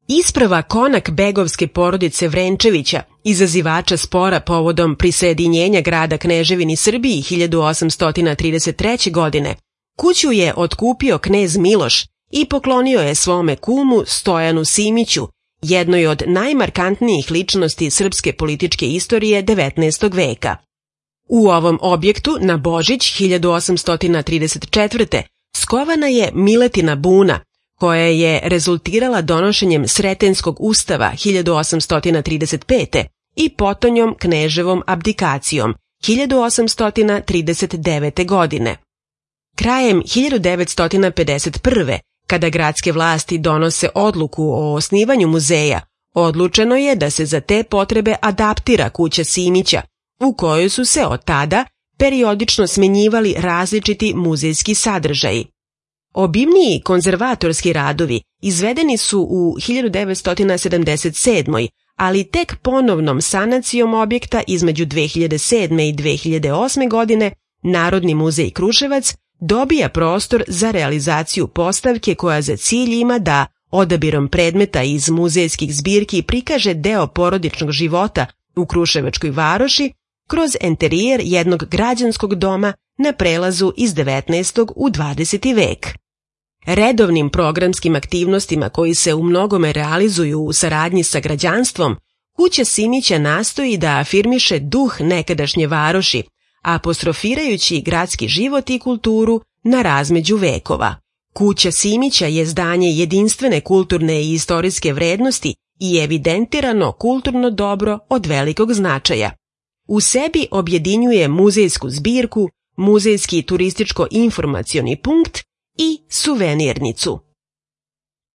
Isprava konak begovske porodice Vrenčevića, izazivača spora povodom prisajedinjenja grada Kneževini Srbiji 1833. godine, kuću je otkupio knez Miloš i poklonio je svome kumu Stojanu Simiću, jednoj od najmarkantnijih ličnosti srpske političke istorije 19. veka. U ovom objektu na Božić 1834. skovana je Miletina buna, koja je rezultirala donošenjem Sretenskog ustava 1835. i potonjom kneževom abdikacijom 1839. godine. Krajem 1951. kada gradske vlasti donose odluku o osnivanju muzeja, odlučeno je da se za te potrebe adaptira kuća Simića, u kojoj su se od tada periodično smenjivali različiti muzejski sadržaji. Obimniji konzervatorski radovi izvedeni su u 1977. ali tek ponovnom sanacijom objekta između 2007. i 2008. godine Narodni muzej Kruševac dobija prostor za realizaciju postavke koja za cilj ima da odabirom predmeta iz muzejskih zbirki prikaže deo porodičnog života u Kruševačkoj varoši kroz enterijer jednog građanskog doma na prelazu iz 19. u 20. vek. Redovnim programskim aktivnostima koji se u mnogome realizuju u saradnji sa građanstvom, kuća Simića nastoji da afirmiše duh nekadašnje varoši, apostrofirajući gradski život i kulturu na razmeđu vekova. Kuća Simića je zdanje jedinstvene kulturne i istorijske vrednosti i evidentirano kulturno dobro od velikog značaja. U sebi objedinjuje muzejsku zbirku, muzejski turističko-informacioni punkt i suvenirnicu.